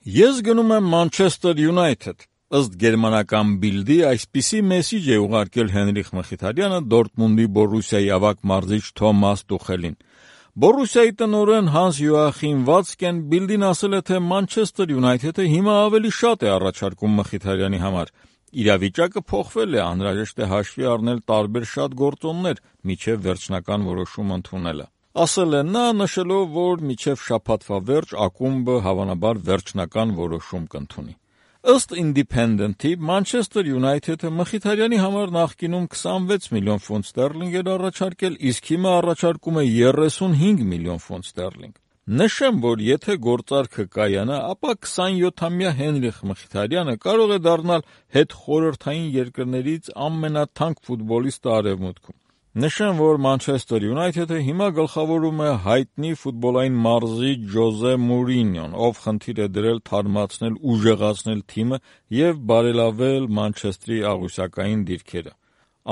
Ես գնում եմ Manchester United։ Ըստ գերմանական Բիլդի այսպիսի մեսիջ է ուղարկել Հենրիխ Մխիթարյանը Դորտմունդի Բորուսիայի ավագ մարզիչ Թոմաս Տուխելին։ Բորուսիայի տնօրեն Հանս Յոախիմ Վացկեն Բիլդին ասել է, թե Manchester United-ը հիմա ավելի շատ է առաջարկում Մխիթարյանի համար։ Իրավիճակը փոխվել է, անհրաժեշտ է հաշվի առնել տարբեր շատ գործոններ, մինչև վերջնական որոշում ընդունելը։ Ասել է նա, նշելով, որ մինչև շաբաթվա վերջ ակումբը հավանաբար վերջնական որոշում կընդունի։ Ըստ Independent-ի Manchester United-ը Մխիթարյանի համար նախկինում 26 միլիոն ֆունտ ստերլինգ էր առաջարկել, իսկ հիմա առաջարկում է 35 միլիոն ֆունտ ստերլինգ։ Նշեմ, որ եթե գործարքը կայանա, ապա 27-ամյա Հենրիխ Մխիթարյանը կարող է դառնալ հետխորհրդային երկրներից ամենաթանկ ֆուտբոլիստը Արևմուտքում։ Նշեմ, որ Manchester United-ը հիմա գլխավորում է հայտնի ֆուտբոլային մարզիչ Ջոզե Մուրինյոն, ով խնդիր է դրել թարմացնել, ուժեղացնել թիմը և բարելավել Մանչեստրի աղյուսակային դիրքերը։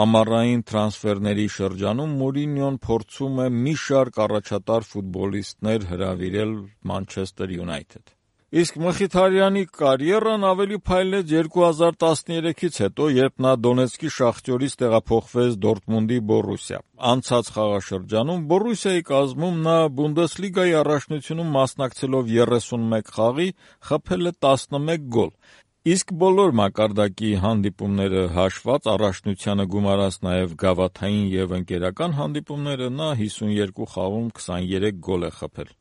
Ամառային տրանսֆերների շրջանում Մուրինյոն փորձում է մի շարք առաջատար ֆուտբոլիստներ հրավիրել Manchester United։ Իսկ Մխիթարյանի կարիերան ավելի փայլեց 2013-ից հետո, երբ նա Դոնեցկի Շախտյորից տեղափոխվեց Դորտմունդի Բորուսիա։ Անցած խաղաշրջանում Բորուսիայի կազմում նա Բունդեսլիգայի առաջնությունում մասնակցելով 31 խաղի խփել է 11 գոլ։ Իսկ բոլոր մակարդակի հանդիպումները հաշված, առաջնությանը գումարած նաև գավաթային և ընկերական հանդիպումները, նա 52 խաղում 23 գոլ է խփել։